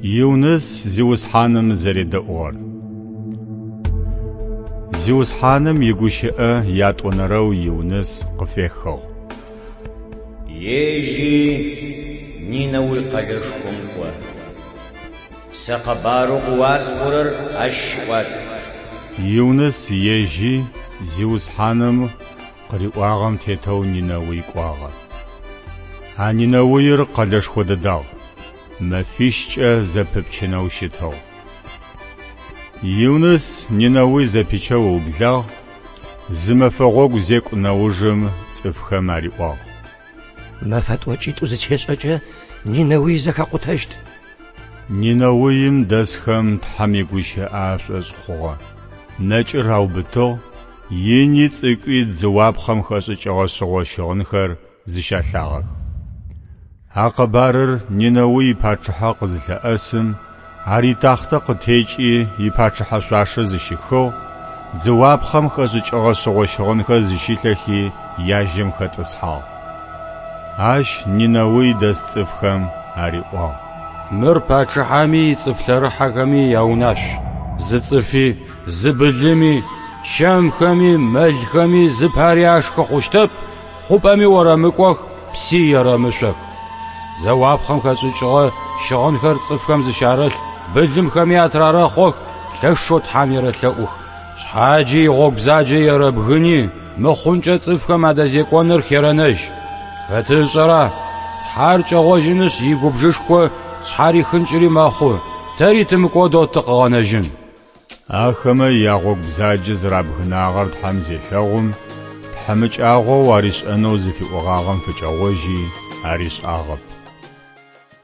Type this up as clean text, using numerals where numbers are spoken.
Юныс Зиусхьаным зэредэӏугъэр. Зиусхьаным игущыӏэ ятӏонэрэу Юныс къыфехыгъ. Ежьи Нинэуй къэлэшхом кӏо. Сэ къэбарэу къыуасӏорэр ащ щыӏуат. Юныс ежьи Зиусхьаным къыриӏуагъэм тетэу Нинэуй кӏуагъэ. А Нинэуир къэлэшхо дэдагъ, мэфищкӏэ зэпыпчынэу щытыгъ. Юныс Нинэуй зэпичэу ыублагъ, зы мэфэ гъогу зекӏу нэужым цӏыфхэм ариӏуагъ. Мэфэ тӏокӏитӏу зытешӏэкӏэ Нинэуй зэхэкъутэщт. Нинэуим дэсхэм Тхьэм игущыӏэ ашӏошъ хъугъэ. Нэкӏыр аубытыгъ, ини цӏыкӏуи дзыуапхъэм хэшӏыкӏыгъэ шъыгъо щыгъынхэр зыщалъагъэх. А къэбарыр Нинэуй ипачъыхьэ къызылъэӏэсым, ар итахътэ къытекӏи ипачъыхьэ шъуашэ зыщихыгъ, дзыуапхъэм хэшӏыкӏыгъэ шъыгъо щыгъынхэр зыщилъэхи яжьэм хэтӏысхьагъ. Ащ Нинэуй дэс цӏыфхэм ариӏуагъ. Мыр пачъыхьэми ицӏыф лъэрыхьэхэми яунашъу. Зы цӏыфи, зы былыми, чэмхэми, мэлхэми зыпари ашхы хъущтэп, хъупӏэми орэмыкӏох, пси ерэмышъох. Дзэуапхъэм хэшӏыкӏыгъэ щыгъынхэр цӏыфхэм зыщарэлъ, былымхэми атырарэхъох, лъэшэу Тхьэм ерэлъэӏух. Шъхьаджи игъогу бзаджэ ерэбгыни, мыхъункӏэ цӏыфхэм адэзекӏоныр херэнэжь. Хэты ышӏэра? Тхьэр кӏэгъожьынышъ игубжышхо тшъхьарихынкӏыри мэхъу, тэри тымыкӏодэу тыкъыгъэнэжьын. Ахэмэ ягъогу бзаджэ зэрабгынагъэр Тхьэм зелъэгъум, тхьамыкӏагъоу аришӏэнэу зыфиӏогъагъэм фыкӏэгъожьи аришӏагъэп.